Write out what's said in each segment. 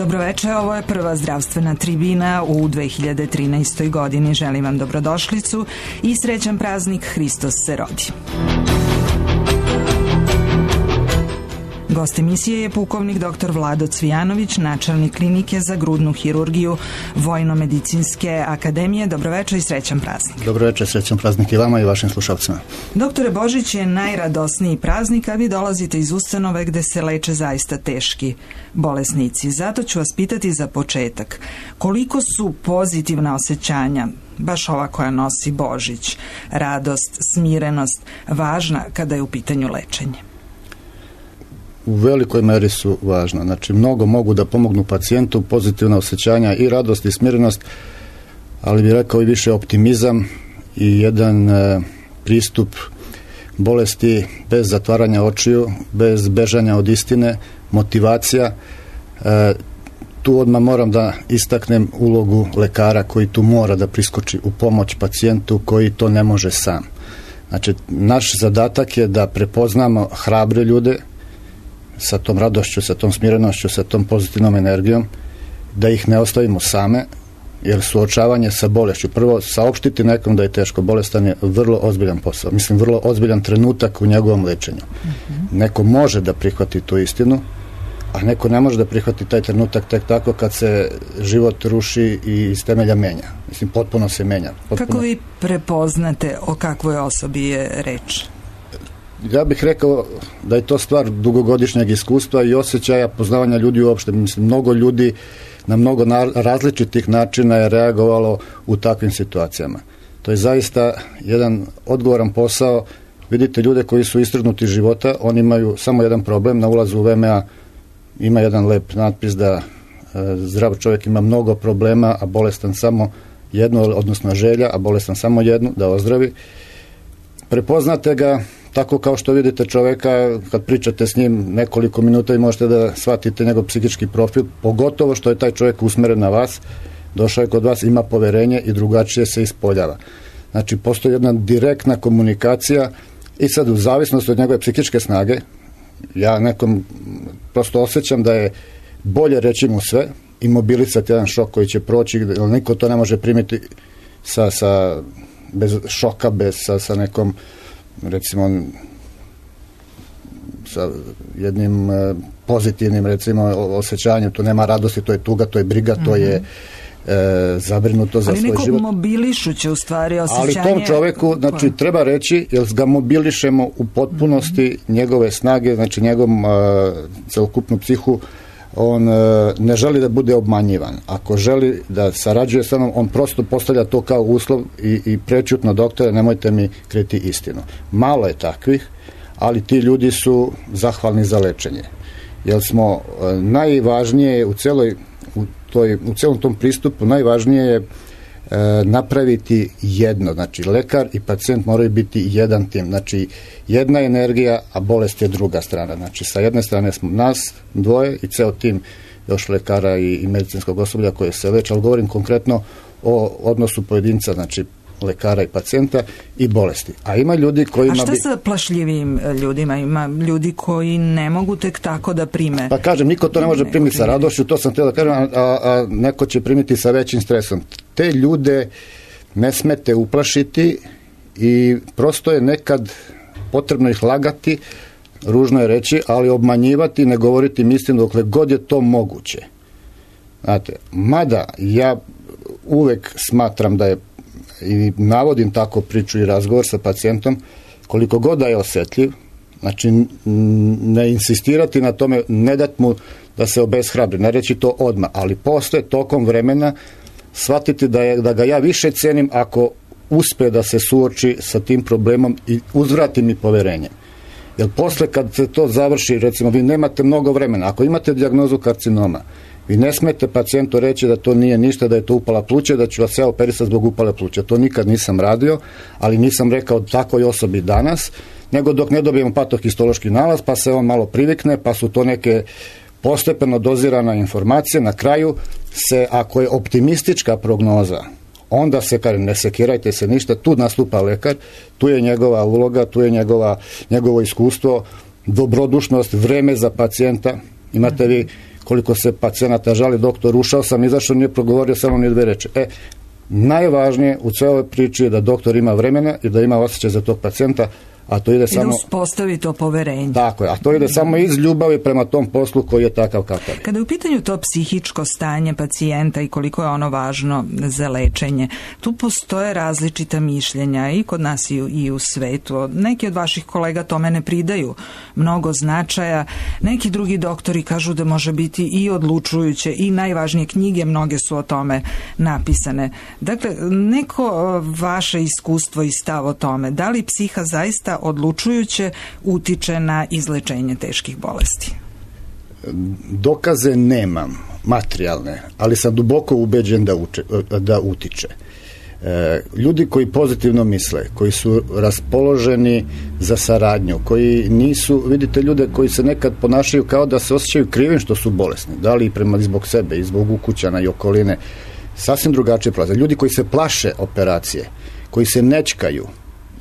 Dobroveče, ovo je prva zdravstvena tribina u 2013. godini. Želim vam dobrodošlicu i srećan praznik, Hristos se rodi. Gost emisije je pukovnik dr. Vlado Cvijanović, načelnik klinike za grudnu hirurgiju Vojno-medicinske akademije. Dobroveče i srećan praznik. Dobroveče, srećan praznik i vama i vašim slušalcima. Doktore, Božić je najradosniji praznik, a vi dolazite iz ustanove gde se leče zaista teški bolesnici. Zato ću vas pitati za početak, koliko su pozitivna osjećanja, baš ova koja nosi Božić, radost, smirenost, važna kada je u pitanju lečenje? U velikoj meri su važna. Znači, mnogo mogu da pomognu pacijentu, pozitivna osjećanja i radost i smirenost, ali bih rekao i više optimizam i jedan pristup bolesti bez zatvaranja očiju, bez bežanja od istine, motivacija. Tu odmah moram da istaknem ulogu lekara koji tu mora da priskoči u pomoć pacijentu koji to ne može sam. Znači, naš zadatak je da prepoznamo hrabre ljude sa tom radošću, sa tom smirenošću, sa tom pozitivnom energijom, da ih ne ostavimo same, jer suočavanje sa bolešću, prvo saopštiti nekom da je teško bolestan je vrlo ozbiljan posao, mislim vrlo ozbiljan trenutak u njegovom lečenju. Neko može da prihvati tu istinu, a neko ne može da prihvati taj trenutak tek tako kad se život ruši i iz temelja menja. Mislim, potpuno se menja. Kako vi prepoznate o kakvoj osobi je reč? Ja bih rekao da je to stvar dugogodišnjeg iskustva i osjećaja poznavanja ljudi uopšte. Mislim, mnogo ljudi na mnogo različitih načina je reagovalo u takvim situacijama. To je zaista jedan odgovoran posao. Vidite, ljude koji su istrgnuti iz života, oni imaju samo jedan problem. Na ulazu u VMA ima jedan lep natpis da zdrav čovjek ima mnogo problema, a bolestan samo jednu, odnosno želja, a bolestan samo jednu, da ozdravi. Prepoznate ga tako kao što vidite čoveka, kad pričate s njim nekoliko minuta i možete da shvatite njegov psihički profil, pogotovo što je taj čovjek usmeren na vas, došao je kod vas, ima poverenje i drugačije se ispoljava. Znači, postoji jedna direktna komunikacija i sad u zavisnosti od njegove psihičke snage, ja nekom prosto osjećam da je bolje reći mu sve i mobilisati jedan šok koji će proći, jer niko to ne može primiti bez šoka, sa nekom, recimo, sa jednim pozitivnim, recimo, osjećanjem. Tu nema radosti, to je tuga, to je briga, to je zabrinuto za svoj život. Ali neko mobilišuće u stvari osjećanje. Ali tom čoveku, znači, treba reći, jer ga mobilišemo u potpunosti njegove snage, znači njegovom celokupnu psihu, on ne želi da bude obmanjivan. Ako želi da sarađuje sa mnom, on prosto postavlja to kao uslov i prećutno: doktore, nemojte mi kriti istinu. Malo je takvih, ali ti ljudi su zahvalni za lečenje. Jer smo najvažnije u celom tom pristupu, najvažnije je napraviti jedno. Znači, lekar i pacijent moraju biti jedan tim. Znači, jedna energija, a bolest je druga strana. Znači, sa jedne strane smo nas dvoje i ceo tim još lekara i medicinskog osoblja koje se leče, ali govorim konkretno o odnosu pojedinca, znači lekara i pacijenta i bolesti. A ima ljudi kojima... A šta sa plašljivim ljudima? Ima ljudi koji ne mogu tek tako da prime? Pa kažem, niko to ne može primiti sa radošću, to sam htio da kažem, a neko će primiti sa većim stresom. Te ljude ne smete uplašiti i prosto je nekad potrebno ih lagati, ružno je reći, ali obmanjivati, ne govoriti im istinu dokle god je to moguće. Znate, mada ja uvek smatram da je, i navodim tako priču i razgovor sa pacijentom, koliko god da je osjetljiv, znači ne insistirati na tome, ne dati mu da se obeshrabri, ne reći to odmah, ali posle, tokom vremena, shvatiti da ga ja više cenim ako uspe da se suoči sa tim problemom i uzvrati mi poverenje. Jer posle kad se to završi, recimo, vi nemate mnogo vremena, ako imate dijagnozu karcinoma, vi ne smete pacijentu reći da to nije ništa, da je to upala pluća, da ću vas ja operisati zbog upale pluća. To nikad nisam radio, ali nisam rekao takvoj osobi danas, nego dok ne dobijemo patohistološki nalaz, pa se on malo privikne, pa su to neke postepeno dozirana informacija. Na kraju se, ako je optimistička prognoza, onda se, kažem, ne sekirajte se ništa, tu nastupa lekar, tu je njegova uloga, tu je njegovo iskustvo, dobrodušnost, vreme za pacijenta. Imate vi koliko se pacijenata žali, doktor, ušao sam, izašao, nije progovorio samo ni 2 reči. Najvažnije u cijeloj priči je da doktor ima vremena i da ima osjećaj za tog pacijenta, a to ide samo... I da uspostavi to poverenje. Tako je, a to ide samo iz ljubavi prema tom poslu koji je takav kakav. Kada je u pitanju to psihičko stanje pacijenta i koliko je ono važno za lečenje, tu postoje različita mišljenja i kod nas i u svetu. Neki od vaših kolega tome ne pridaju mnogo značaja, neki drugi doktori kažu da može biti i odlučujuće i najvažnije knjige, mnoge su o tome napisane. Dakle, neko vaše iskustvo i stav o tome, da li psiha zaista odlučujuće utiče na izlečenje teških bolesti? Dokaze nemam, materijalne, ali sam duboko ubeđen da utiče. Ljudi koji pozitivno misle, koji su raspoloženi za saradnju, koji nisu, vidite ljude koji se nekad ponašaju kao da se osjećaju krivim što su bolesni, da li i zbog sebe i zbog ukućana i okoline, sasvim drugačije prolaze. Ljudi koji se plaše operacije, koji se nećkaju,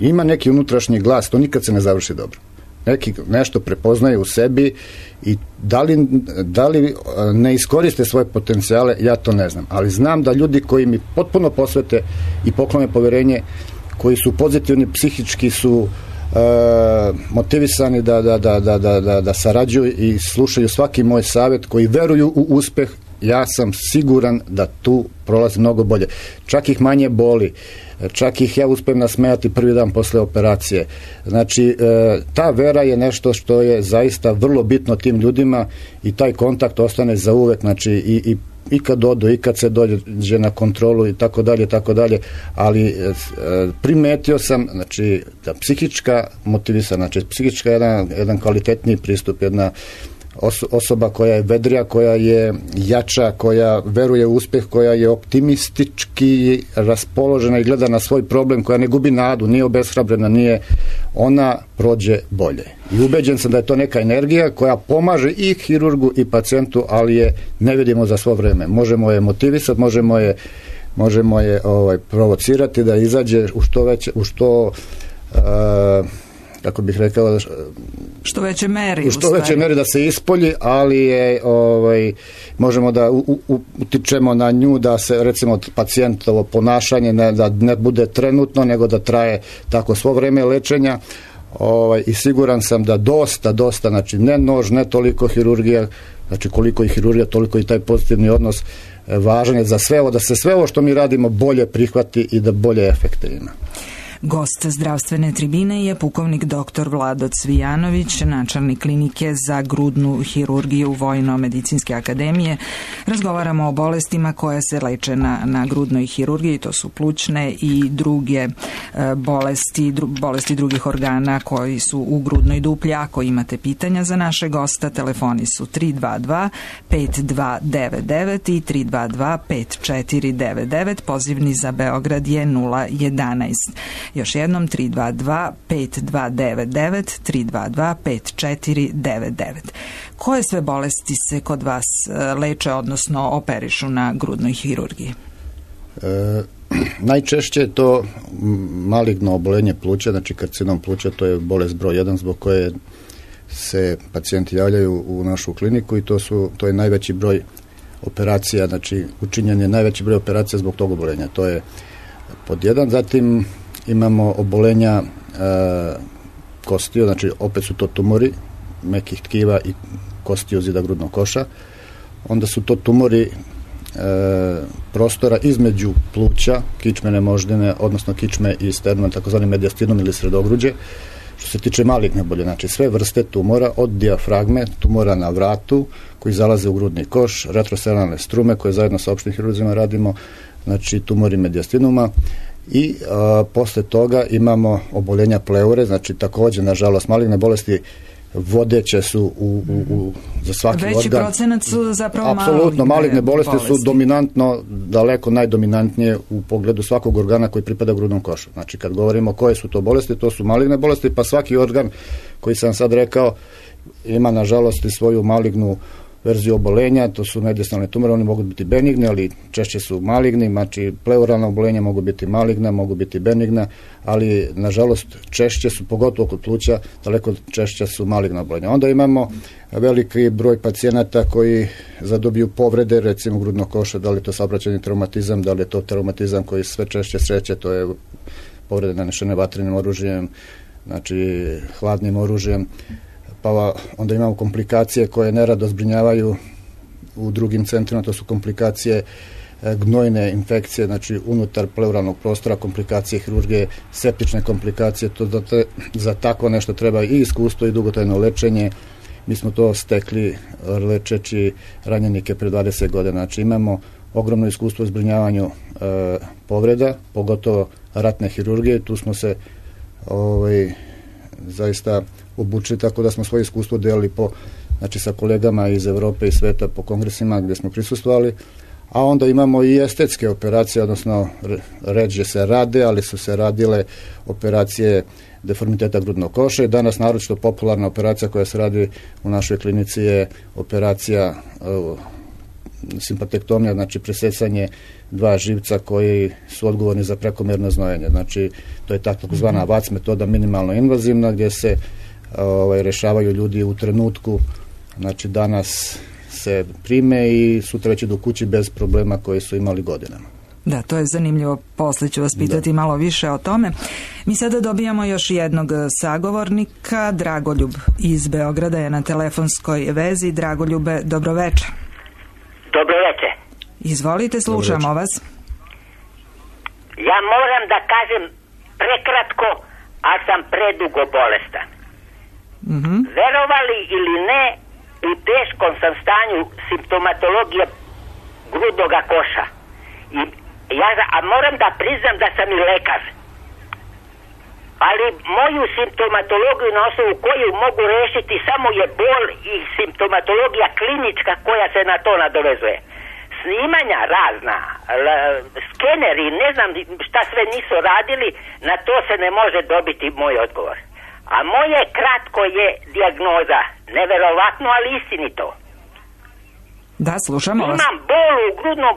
ima neki unutrašnji glas, to nikad se ne završi dobro. Neki nešto prepoznaju u sebi i da li ne iskoriste svoje potencijale, ja to ne znam. Ali znam da ljudi koji mi potpuno posvete i poklone koji su pozitivni, psihički su motivisani da sarađuju i slušaju svaki moj savjet, koji veruju u uspeh, ja sam siguran da tu prolazi mnogo bolje. Čak ih manje boli, čak ih ja uspijem nasmejati prvi dan posle operacije. Znači, ta vera je nešto što je zaista vrlo bitno tim ljudima i taj kontakt ostane za uvek, znači i kad odu, i kad se dođe na kontrolu i tako dalje, ali primetio sam, znači, da psihička motivisana, znači psihička jedan kvalitetniji pristup, jedna osoba koja je vedrija, koja je jača, koja veruje u uspjeh, koja je optimistički raspoložena i gleda na svoj problem, koja ne gubi nadu, nije obeshrabrena, ona prođe bolje. I ubeđen sam da je to neka energija koja pomaže i hirurgu i pacijentu, ali je ne vidimo za svo vreme. Možemo je motivisati, možemo je provocirati da izađe u što kako bih rekao, što veće meri, da se ispolji, ali je možemo da utičemo na nju, da se recimo pacijentovo ponašanje da ne bude trenutno, nego da traje tako svo vreme lečenja, i siguran sam da dosta, znači ne nož, ne toliko hirurgija, znači koliko i hirurgija, toliko i taj pozitivni odnos važan je za sve ovo, da se sve ovo što mi radimo bolje prihvati i da bolje efekte ima. Gost zdravstvene tribine je pukovnik dr. Vlado Cvijanović, načelnik klinike za grudnu hirurgiju Vojno-medicinske akademije. Razgovaramo o bolestima koje se leče na grudnoj hirurgiji, to su plućne i druge bolesti drugih organa koji su u grudnoj duplji. Ako imate pitanja za naše gosta, telefoni su 322 5299 i 322 5499, pozivni za Beograd je 011. Još jednom 322 5299 322 5499. Koje sve bolesti se kod vas leče, odnosno operišu na grudnoj hirurgiji? Najčešće je to maligno oboljenje pluća, znači karcinom pluća, to je bolest broj 1 zbog koje se pacijenti javljaju u našu kliniku i to je najveći broj operacija, znači učinjen je najveći broj operacija zbog tog oboljenja. To je pod 1, zatim imamo obolenja kostiju, znači opet su to tumori mekih tkiva i kostiju zida grudnog koša. Onda su to tumori prostora između pluća, kičmene moždine, odnosno kičme i sternuma, takozvani mediastinom ili sredogruđe. Što se tiče maligne bolje, znači sve vrste tumora, od dijafragme, tumora na vratu koji zalaze u grudni koš, retrosternalne strume koje zajedno sa opštim hirurzima radimo, znači tumori mediastinuma. I posle toga imamo oboljenja pleure, znači također, nažalost, maligne bolesti vodeće su za svaki organ. Veći procenat su zapravo apsolutno, maligne bolesti su dominantno, daleko najdominantnije u pogledu svakog organa koji pripada grudnom košu. Znači, kad govorimo koje su to bolesti, to su maligne bolesti, pa svaki organ koji sam sad rekao ima, nažalost, i svoju malignu verziju obolenja, to su mediastinalni tumori, oni mogu biti benigni, ali češće su maligni, znači pleuralna obolenja mogu biti maligna, mogu biti benigna, ali nažalost češće su, pogotovo kod pluća, daleko češće su maligna obolenja. Onda imamo veliki broj pacijenata koji zadobiju povrede, recimo grudnog koša, da li je to saobraćajni traumatizam, da li je to traumatizam koji sve češće sreće, to je povrede nanešene vatrenim oružjem, znači hladnim oružjem, pa onda imamo komplikacije koje nerado zbrinjavaju u drugim centrima, to su komplikacije gnojne infekcije, znači unutar pleuralnog prostora, komplikacije hirurgije, septične komplikacije, za takvo nešto treba i iskustvo i dugotrajno lečenje. Mi smo to stekli lečeći ranjenike pre 20 godina, znači imamo ogromno iskustvo u zbrinjavanju povreda, pogotovo ratne hirurgije, tu smo se zaista obučili, tako da smo svoje iskustvo delili znači sa kolegama iz Evrope i sveta po kongresima gdje smo prisustvovali, a onda imamo i estetske operacije, odnosno ređe se rade, ali su se radile operacije deformiteta grudnog koša i danas naročito popularna operacija koja se radi u našoj klinici je operacija simpatektomija, znači presecanje dva živca koji su odgovorni za prekomjerno znojenje. Znači, to je takozvana VAC metoda, minimalno invazivna, gdje se rešavaju ljudi u trenutku, znači danas se prime i sutra već idu kući bez problema koje su imali godinama. Da, to je zanimljivo, poslije ću vas pitati malo više o tome. Mi sada dobijamo još jednog sagovornika, Dragoljub iz Beograda je na telefonskoj vezi. Dragoljube, dobroveče. Dobroveče. Izvolite, slušamo vas. Ja moram da kažem prekratko, a sam predugo bolestan. Verovali ili ne, u teškom sam stanju simptomatologije grudnoga koša. A moram da priznam da sam i lekar. Ali moju simptomatologiju na osnovu koju mogu rešiti samo je bol i simptomatologija klinička koja se na to nadovezuje. Snimanja razna, skeneri, ne znam šta sve nisu radili, na to se ne može dobiti moj odgovor. A moje kratko je dijagnoza, neverovatno, ali istinito. Da, slušamo vas. Imam bol u grudnom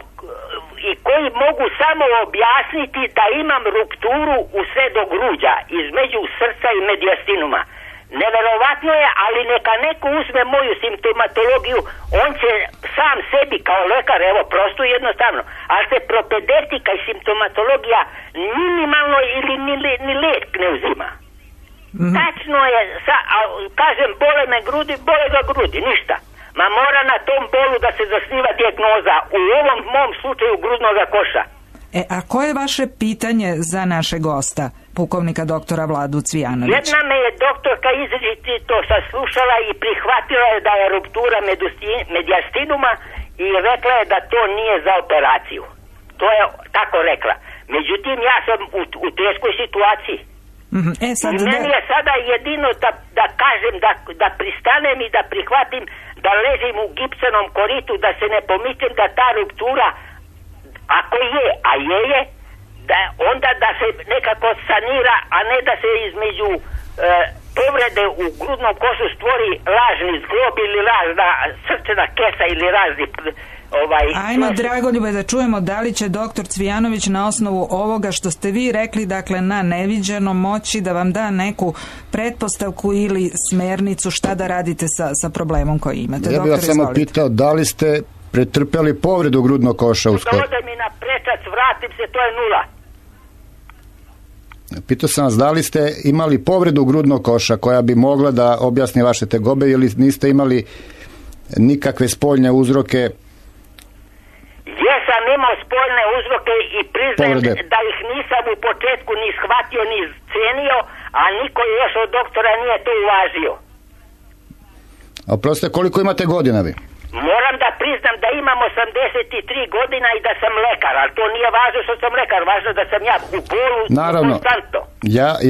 i koji mogu samo objasniti da imam rupturu u sve do gruđa, između srca i mediastinuma. Neverovatno je, ali neka neko uzme moju simptomatologiju, on će sam sebi kao lekar, evo prosto jednostavno, ali se propedeutika i simptomatologija minimalno ili ni lek ne uzima. Tačno je, kažem bole me grudi, bole ga grudi, ništa. Ma mora na tom bolu da se zasniva dijagnoza, u ovom mom slučaju grudnoga koša. A koje je vaše pitanje za našeg gosta, pukovnika doktora Vladu Cvijanovića? Jedna me je doktorka izričito saslušala i prihvatila je da je ruptura mediastinuma i rekla je da to nije za operaciju. To je tako rekla. Međutim, ja sam u teškoj situaciji. Meni je sada jedino da kažem, da pristanem i da prihvatim da ležim u gipsanom koritu, da se ne pomičem da ta ruptura, ako je, a je, da onda da se nekako sanira, a ne da se između povrede u grudnom košu stvori lažni zglob ili lažna srčana kesa ili razni Ajmo, Dragoljube, da čujemo da li će doktor Cvijanović na osnovu ovoga što ste vi rekli, dakle na neviđeno, moći da vam da neku pretpostavku ili smernicu šta da radite sa problemom koji imate. Ja bih vas samo pitao, da li ste pretrpeli povredu grudnog koša uskoro? Ode mi na prečac, vratim se, to je nula. Pitao sam vas, da li ste imali povredu grudnog koša koja bi mogla da objasni vaše tegobe ili niste imali nikakve spoljne uzroke? Jesam imao spoljne uzroke i priznajem da ih nisam u početku ni shvatio ni cenio, a niko još od doktora nije to uvažio. A oprostite, koliko imate godina vi? Moram da priznam da imam 83 godina i da sam lekar, ali to nije važno što sam lekar, važno da sam ja u bolu konstantno.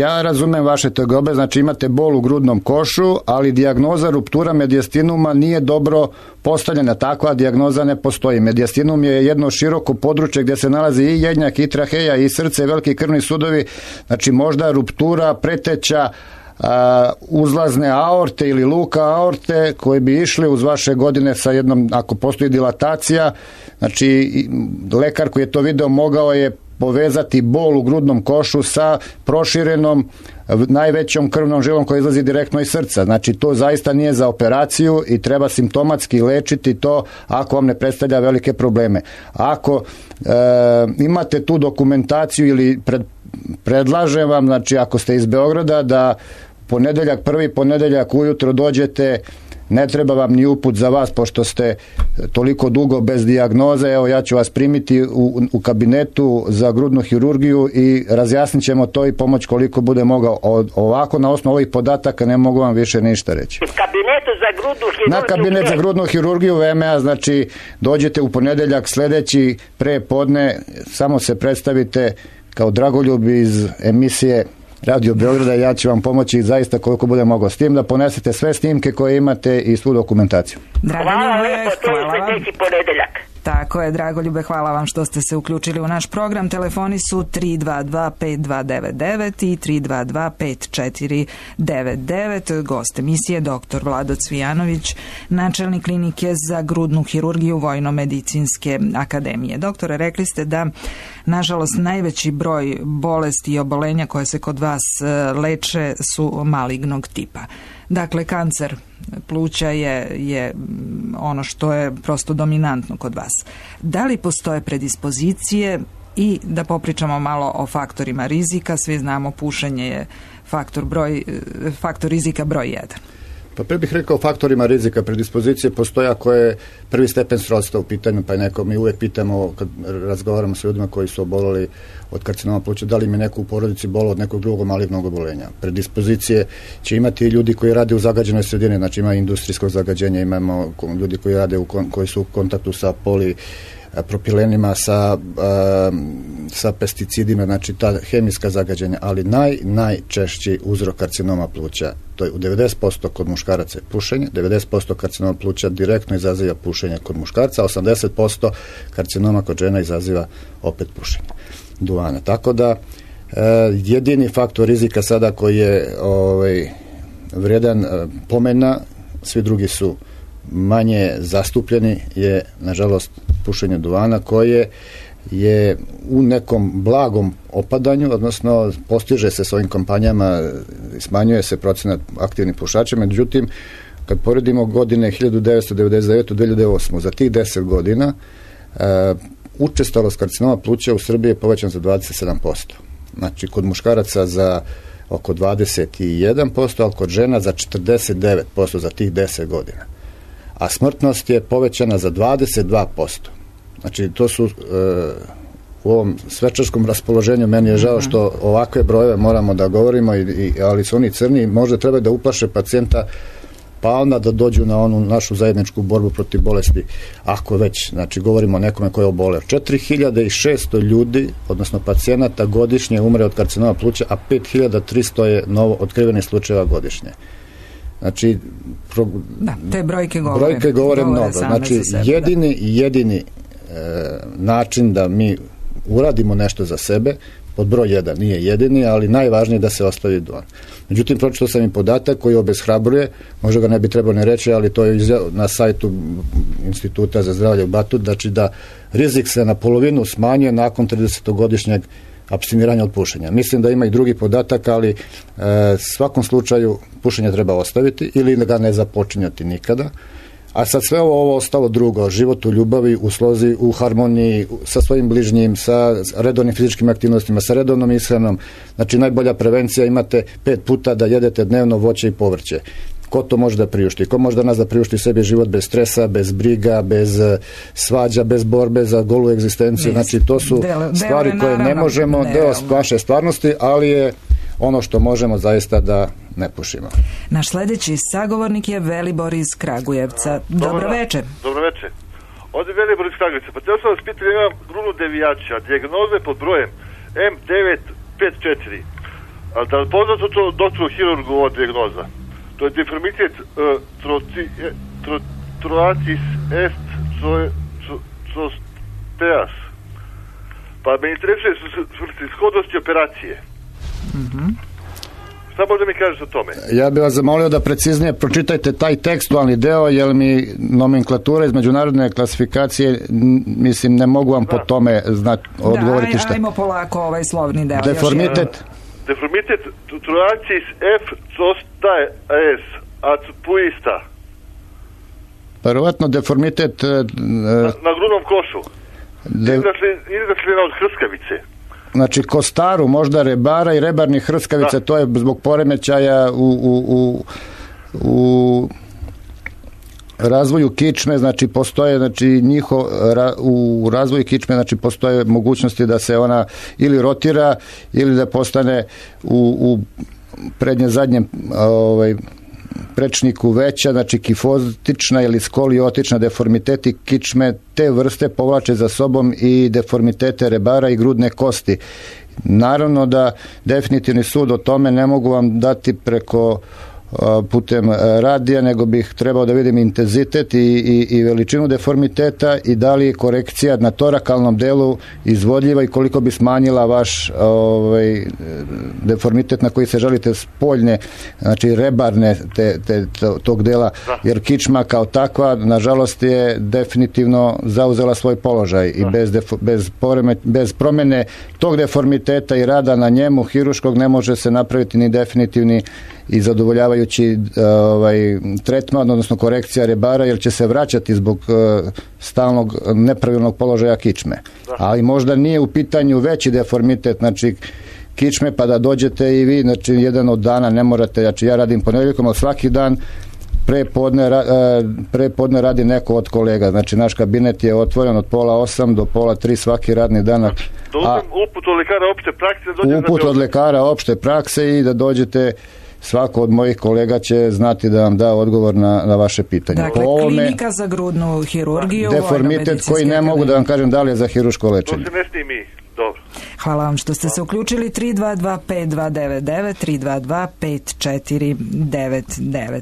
Ja razumem vaše tegobe, znači imate bol u grudnom košu, ali dijagnoza ruptura mediastinuma nije dobro postavljena, takva dijagnoza ne postoji. Mediastinum je jedno široko područje gdje se nalazi i jednjak, i traheja, i srce, i veliki krvni sudovi, znači možda ruptura, preteća, uzlazne aorte ili luka aorte koji bi išli uz vaše godine sa jednom, ako postoji dilatacija, znači lekar koji je to video mogao je povezati bol u grudnom košu sa proširenom najvećom krvnom žilom koja izlazi direktno iz srca. Znači to zaista nije za operaciju i treba simptomatski lečiti to ako vam ne predstavlja velike probleme. Ako imate tu dokumentaciju ili predlažem vam, znači ako ste iz Beograda, da prvi ponedeljak ujutro dođete, ne treba vam ni uput za vas, pošto ste toliko dugo bez dijagnoze. Evo, ja ću vas primiti u kabinetu za grudnu hirurgiju i razjasnit ćemo to i pomoć koliko bude mogao. Ovako, na osnovu ovih podataka ne mogu vam više ništa reći. Kabinetu za grudnu hirurgiju? Na kabinet za grudnu hirurgiju VMA, znači dođete u ponedeljak sljedeći pre podne, samo se predstavite kao Dragoljub iz emisije Radio Beograda, ja ću vam pomoći zaista koliko bude mogao, s tim da ponesete sve snimke koje imate i svu dokumentaciju. Hvala lepo, to je sljedeći ponedeljak. Tako je, Dragoljube, hvala vam što ste se uključili u naš program. Telefoni su 322-5299 i 322-5499. Gost emisije dr. Vlado Cvijanović, načelnik klinike za grudnu hirurgiju Vojno-medicinske akademije. Doktore, rekli ste da, nažalost, najveći broj bolesti i obolenja koje se kod vas leče su malignog tipa. Dakle, kancer pluća je ono što je prosto dominantno kod vas. Da li postoje predispozicije i da popričamo malo o faktorima rizika? Svi znamo, pušenje je faktor rizika broj 1. Pa prije bih rekao faktorima rizika. Predispozicije postoje ako je prvi stepen srodstva u pitanju, pa neko mi uvijek pitamo kad razgovaramo s ljudima koji su oboleli od karcinoma pluća, da li im je neko u porodici bolao od nekog drugog malignog oboljenja. Predispozicije će imati ljudi koji rade u zagađenoj sredini, znači ima industrijskog zagađenja, imamo ljudi koji rade koji su u kontaktu sa propilenima, sa pesticidima, znači ta hemijska zagađenja, ali najčešći uzrok karcinoma pluća, to je u 90% kod muškaraca je pušenje, 90% karcinoma pluća direktno izaziva pušenje kod muškarca, a 80% karcinoma kod žena izaziva opet pušenje duvana. Tako da jedini faktor rizika sada koji je vrijedan pomena, svi drugi su manje zastupljeni, je nažalost pušenje duvana koje je u nekom blagom opadanju, odnosno postiže se s ovim kampanjama, smanjuje se procenat aktivnih pušača, međutim kad poredimo godine 1999-2008, za tih 10 godina učestalost karcinoma pluća u Srbiji je povećan za 27%. Znači kod muškaraca za oko 21%, ali kod žena za 49% za tih 10 godina. A smrtnost je povećana za 22%. Znači, to su u ovom svečarskom raspoloženju, meni je žao što ovakve brojeve moramo da govorimo, ali su oni crni, možda treba da uplaše pacijenta, pa onda da dođu na onu našu zajedničku borbu protiv bolesti, ako već, znači, govorimo o nekome koji je oboleo. 4600 ljudi, odnosno pacijenata godišnje umre od karcinoma pluća, a 5300 je novo otkrivenih slučajeva godišnje. Znači, te brojke govore mnogo. Znači, jedini način da mi uradimo nešto za sebe, pod broj 1 nije jedini, ali najvažnije da se ostavi duvan. Međutim, pročitao sam i podatak koji obeshrabruje, možda ga ne bi trebalo ne reći, ali to je na sajtu Instituta za zdravlje u Batut, znači da rizik se na polovinu smanjuje nakon 30-godišnjeg apstiniranja od pušenja. Mislim da ima i drugi podatak, ali svakom slučaju pušenje treba ostaviti ili ga ne započinjati nikada. A sad sve ovo ostalo drugo, život u ljubavi, u slozi, u harmoniji, sa svojim bližnjim, sa redovnim fizičkim aktivnostima, sa redovnom ishranom. Znači najbolja prevencija, imate 5 puta da jedete dnevno voće i povrće. Ko to može da priušti? Ko može danas da priušti sebi život bez stresa, bez briga, bez svađa, bez borbe za golu egzistenciju? Znači to su stvari koje ne možemo, deo vaše stvarnosti, ali je ono što možemo zaista da ne pušimo. Naš sljedeći sagovornik je Velibor iz Kragujevca. Dobro večer. Dobro večer. Ovdje Velibor iz Kragujevca. Pa htio sam vas pitati, imam grudnu devijača, dijagnoze pod brojem M954. Ali da li poznato to doktoru hirurgu ova dijagnoza? To je deformitet troatis est zosteas. Pa me interesuje svrsishodnosti operacije. Samo da mi kažeš o tome. Ja bih vas zamolio da preciznije pročitajte taj tekstualni deo, jer mi nomenklatura iz međunarodne klasifikacije, mislim, ne mogu vam po tome odgovoriti šta. Ajmo polako ovaj slovni deo. Deformitet. Deformitet troacis F zostaje S acupuista. Verovatno deformitet na grudnom košu. Izdašljena od hrskavice. Znači kostaru, možda rebara i rebarnih hrskavica, to je zbog poremećaja u razvoju kičme, znači postoje, znači u razvoju kičme, znači postoje mogućnosti da se ona ili rotira ili da postane u prednje zadnjem prečniku veća, znači kifotična ili skoliotična deformiteti kičme te vrste povlače za sobom i deformitete rebara i grudne kosti. Naravno da definitivni sud o tome ne mogu vam dati putem radija, nego bih trebao da vidim intenzitet i veličinu deformiteta i da li je korekcija na torakalnom delu izvodljiva i koliko bi smanjila vaš deformitet na koji se želite spoljne, znači rebarne tog dela, jer kičma kao takva nažalost je definitivno zauzela svoj položaj i bez promene tog deformiteta i rada na njemu hiruškog ne može se napraviti ni definitivni i zadovoljavajući tretman, odnosno korekcija rebara, jer će se vraćati zbog stalnog nepravilnog položaja kičme. Ali možda nije u pitanju veći deformitet, znači kičme, pa da dođete i vi, znači jedan od dana ne morate, znači ja radim ponedjeljkom, ali svaki dan prepodne radi neko od kolega, znači naš kabinet je otvoren od 7:30 do 2:30 svaki radni dan. Uput od lekara opšte prakse? Uput od lekara opšte prakse i da dođete, svako od mojih kolega će znati da vam da odgovor na vaše pitanje. Dakle, klinika za grudnu hirurgiju, deformitet koji ne mogu da vam kažem da li je za hiruško lečenje. To se ne snimi. Dobro. Hvala vam što ste se uključili. 322-5299, 322-5499.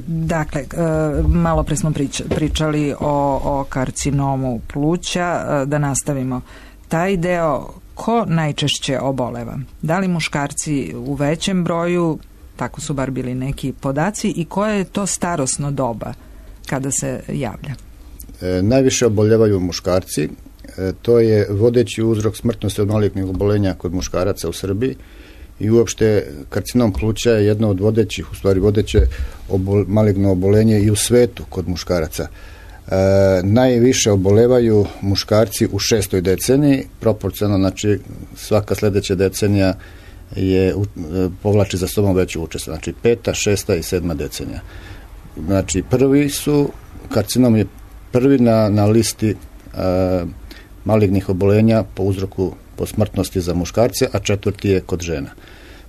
Dakle, malo pre smo pričali o karcinomu pluća, da nastavimo taj deo. Ko najčešće oboleva? Da li muškarci u većem broju, tako su bar bili neki podaci, i koje je to starosno doba kada se javlja? Najviše oboljevaju muškarci. To je vodeći uzrok smrtnosti od malignih obolenja kod muškaraca u Srbiji i uopšte karcinom pluća je jedno od vodećih, u stvari vodeće maligno obolenje i u svetu kod muškaraca. Najviše obolevaju muškarci u 6. deceniji, proporcionalno, znači svaka sledeća decenija povlači za sobom veću učest, znači 5., 6. i 7. decenija. Znači karcinom je prvi na listi malignih obolenja po uzroku po smrtnosti za muškarce, a 4. je kod žena.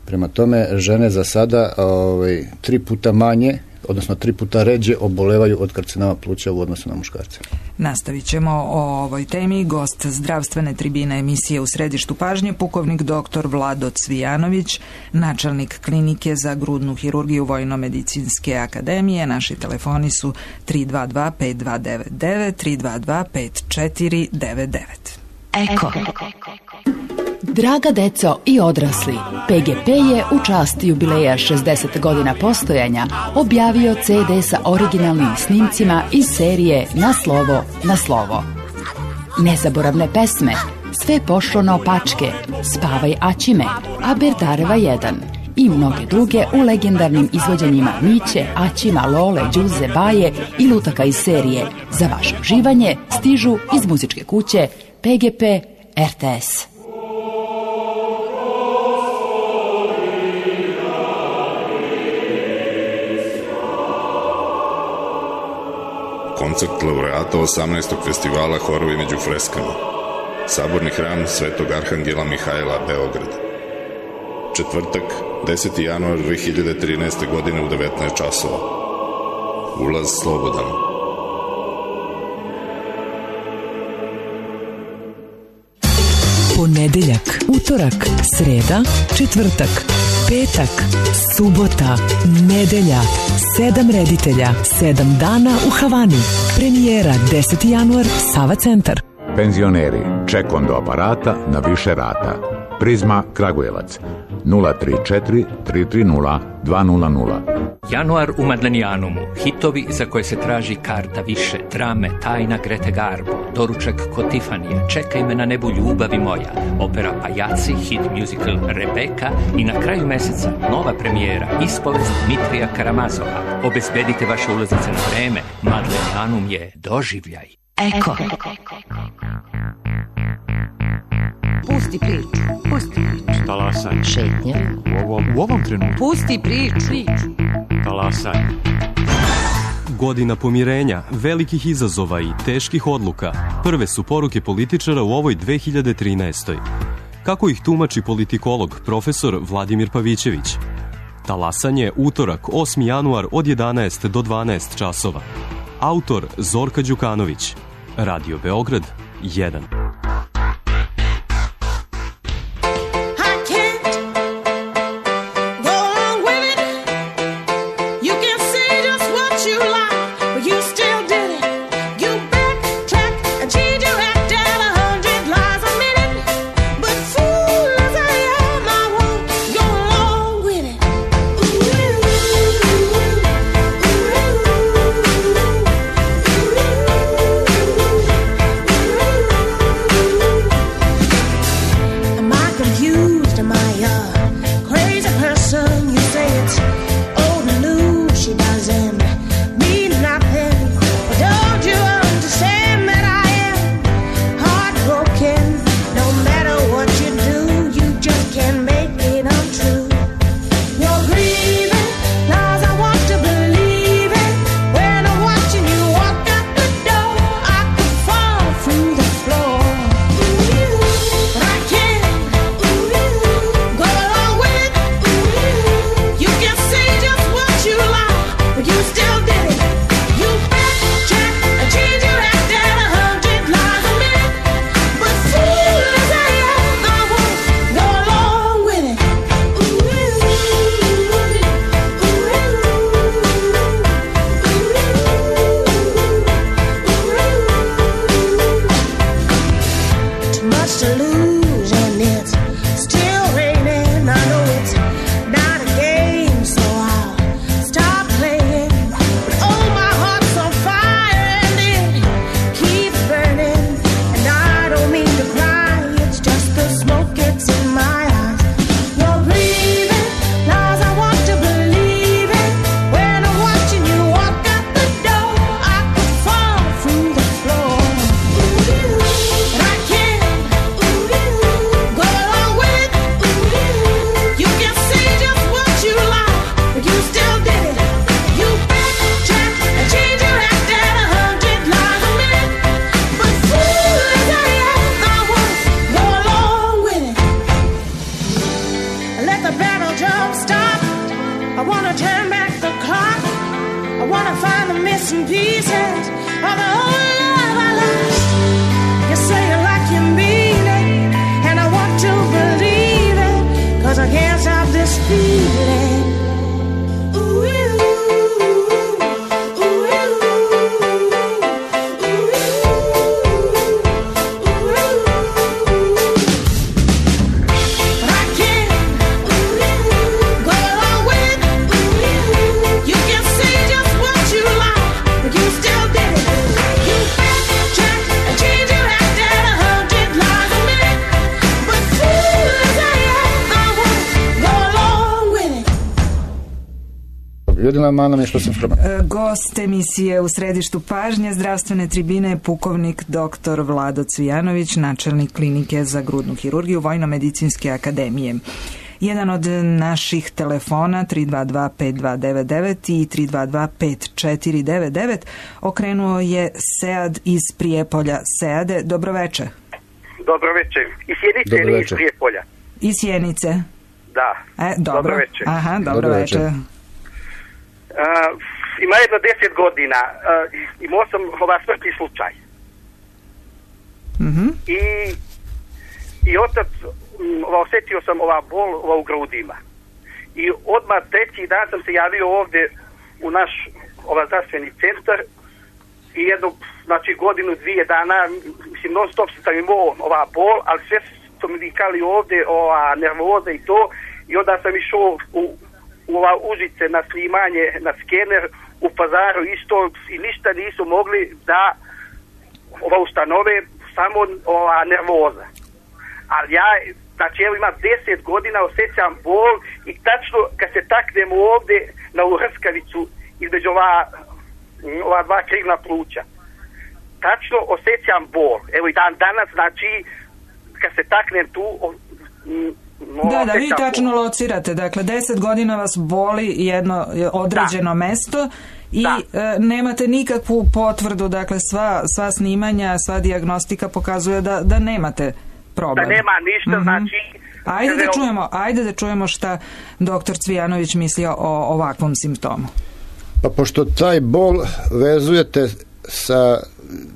Prema tome, žene za sada 3 puta manje, odnosno 3 puta ređe obolevaju od karcinoma pluća u odnosu na muškarce. Nastavit ćemo o ovoj temi. Gost zdravstvene tribine emisije U središtu pažnje, pukovnik dr. Vlado Cvijanović, načelnik klinike za grudnu hirurgiju Vojno-medicinske akademije. Naši telefoni su 322-5299, 322-5499. Eko. Draga deco i odrasli, PGP je u čast jubileja 60 godina postojanja objavio CD sa originalnim snimcima iz serije Na slovo, na slovo. Nezaboravne pesme, Sve pošlo naopačke, Spavaj Aćime, Aberdareva 1 i mnoge druge u legendarnim izvođenjima Miće, Aćima, Lole, Đuze, Baje i lutaka iz serije. Za vaše uživanje stižu iz muzičke kuće PGP RTS. Koncert laureata 18. festivala Horovi među freskama. Saborni hram Svetog Arhangela Mihajla, Beograd. Četvrtak, 10. januar 2013. godine u 19 časova. Ulaz slobodan. Ponedeljak, utorak, sreda, četvrtak, petak, subota, nedelja, 7 reditelja, 7 dana u Havani. Premijera 10. januar, Sava centar. Penzioneri, ček do aparata na više rata. Prizma Kragujevac 034 330 200. Januar u Madlenijanumu. Hitovi za koje se traži karta više. Drame Tajna Grete Garbo, Doručak kod Tifanija, Čekaj me na nebu ljubavi moja, opera Pajaci, hit musical Rebeka i na kraju meseca nova premijera Ispovest Dmitrija Karamazova. Obezbedite vaše ulaznice na vreme. Madlenijanum je doživljaj. Eko. Pusti priču. Pusti priču. Talasaj. Šetnje. U ovom trenutku. Pusti priču. Talasaj. Godina pomirenja, velikih izazova i teških odluka prve su poruke političara u ovoj 2013. Kako ih tumači politikolog profesor Vladimir Pavićević? Talasanje, utorak, 8. januar od 11 do 12 časova. Autor Zorka Đukanović. Radio Beograd 1. Gost emisije u središtu pažnje zdravstvene tribine pukovnik dr. Vlado Cvijanović, načelnik klinike za grudnu hirurgiju Vojno-medicinske akademije. Jedan od naših telefona 322-5299 i 322-5499 okrenuo je Sead iz Prijepolja. Seade, dobroveče. Dobroveče. Iz Sjenice ili iz Prijepolja? Iz Sjenice. Da. Dobro. Dobroveče. Aha, dobroveče. Ima jedno 10 godina. Imao sam smrtni slučaj. I otac osjetio sam bol u grudima. I odmah treći dan sam se javio ovdje u naš zdravstveni centar i jednu, godinu, 2 dana, mislim, non stop sam imao bol, ali su mi vikali ovdje nervoza i to, i onda sam išao u Užice na snimanje, na skener u Pazaru isto i ništa nisu mogli da ustanove, samo nervoza. Ali ja, znači evo imam 10 godina, osjećam bol i tačno kad se taknemo ovdje na Uhrskavicu između ova dva krivna pluća, tačno osjećam bol. Evo i danas, znači kad se taknem tu, da, vi tačno locirate, dakle 10 godina vas boli jedno određeno mesto i nemate nikakvu potvrdu, dakle sva snimanja, sva dijagnostika pokazuje da nemate problem. Da nema ništa, znači... Ajde da čujemo šta doktor Cvijanović misli o ovakvom simptomu. Pa pošto taj bol vezujete sa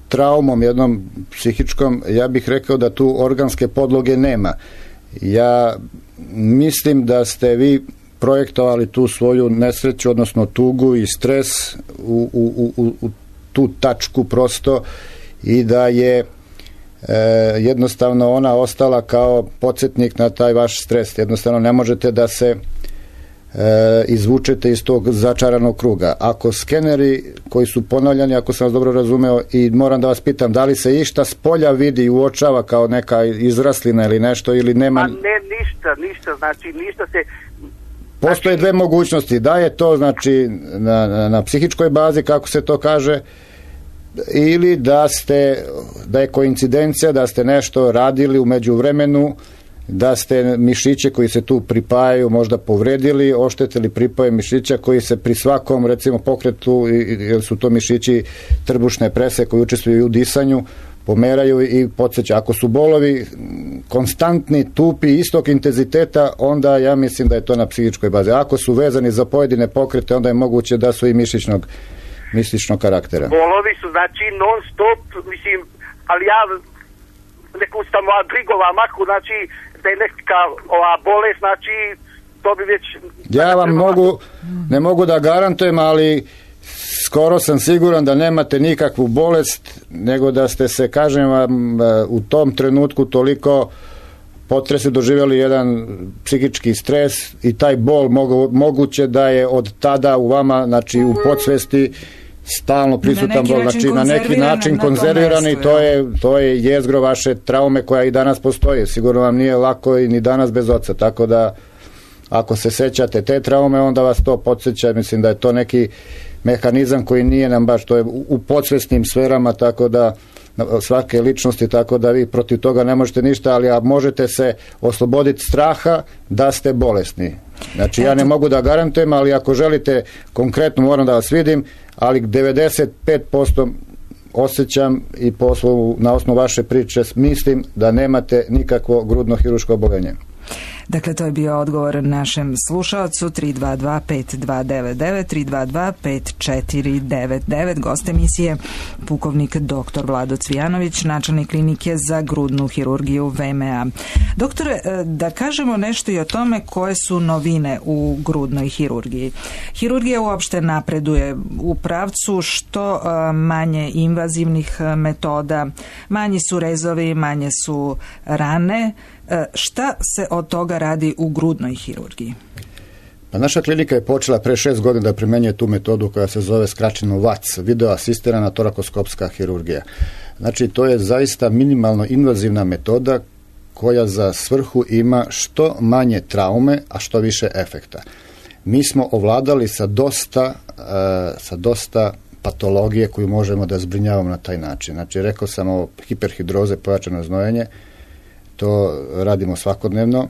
traumom jednom psihičkom, ja bih rekao da tu organske podloge nema. Ja mislim da ste vi projektovali tu svoju nesreću, odnosno tugu i stres u tu tačku prosto i da je jednostavno ona ostala kao podsjetnik na taj vaš stres. Jednostavno ne možete da se izvučete iz tog začaranog kruga. Ako skeneri koji su ponavljani, ako sam vas dobro razumeo, i moram da vas pitam, da li se išta s polja vidi i uočava kao neka izraslina ili nešto, ili nema... A ne, ništa, znači ništa se... Postoje dve mogućnosti, da je to znači na psihičkoj bazi, kako se to kaže, ili da je koincidencija, da ste nešto radili u međuvremenu, da ste mišiće koji se tu pripajaju možda povredili, oštetili pripoje mišića koji se pri svakom recimo pokretu, jer su to mišići trbušne prese koji učestvuju u disanju, pomeraju i podsjećaju. Ako su bolovi konstantni, tupi, istog intenziteta, onda ja mislim da je to na psihičkoj bazi. Ako su vezani za pojedine pokrete, onda je moguće da su i mišićnog karaktera. Bolovi su znači non stop, mislim, ali ja neku sam brigova maku, znači da je neka bolest, znači to bi već... Ja vam ne mogu da garantujem, ali skoro sam siguran da nemate nikakvu bolest, nego da ste se, kažem vam, u tom trenutku toliko potresi doživjeli jedan psihički stres i taj bol moguće da je od tada u vama, znači u podsvesti stalno prisutan bol, znači na neki način konzerviran i to je jezgro vaše traume koja i danas postoji. Sigurno vam nije lako i ni danas bez oca, tako da ako se sećate te traume, onda vas to podsjeća. Mislim da je to neki mehanizam koji nije nam baš, to je u podsvesnim sferama, tako da svake ličnosti, tako da vi protiv toga ne možete ništa, ali možete se osloboditi straha da ste bolesni. Znači ja ne mogu da garantujem, ali ako želite konkretno, moram da vas vidim, ali 95% osjećam i na osnovu vaše priče mislim da nemate nikakvo grudno hirurško oboljenje. Dakle, to je bio odgovor našem slušalcu 322-5299, 322-5499. Gost emisije pukovnik dr. Vlado Cvijanović, načelnik klinike za grudnu hirurgiju VMA. Doktore, da kažemo nešto i o tome koje su novine u grudnoj hirurgiji. Hirurgija uopšte napreduje u pravcu što manje invazivnih metoda, manji su rezovi, manje su rane. Šta se od toga radi u grudnoj hirurgiji? Pa naša klinika je počela pre 6 godina da primenjuje tu metodu koja se zove skraćeno VATS, video asistirana torakoskopska hirurgija. Znači to je zaista minimalno invazivna metoda koja za svrhu ima što manje traume, a što više efekta. Mi smo ovladali sa dosta patologije koju možemo da zbrinjavamo na taj način. Znači rekao sam o hiperhidroze, pojačano znojenje, to radimo svakodnevno.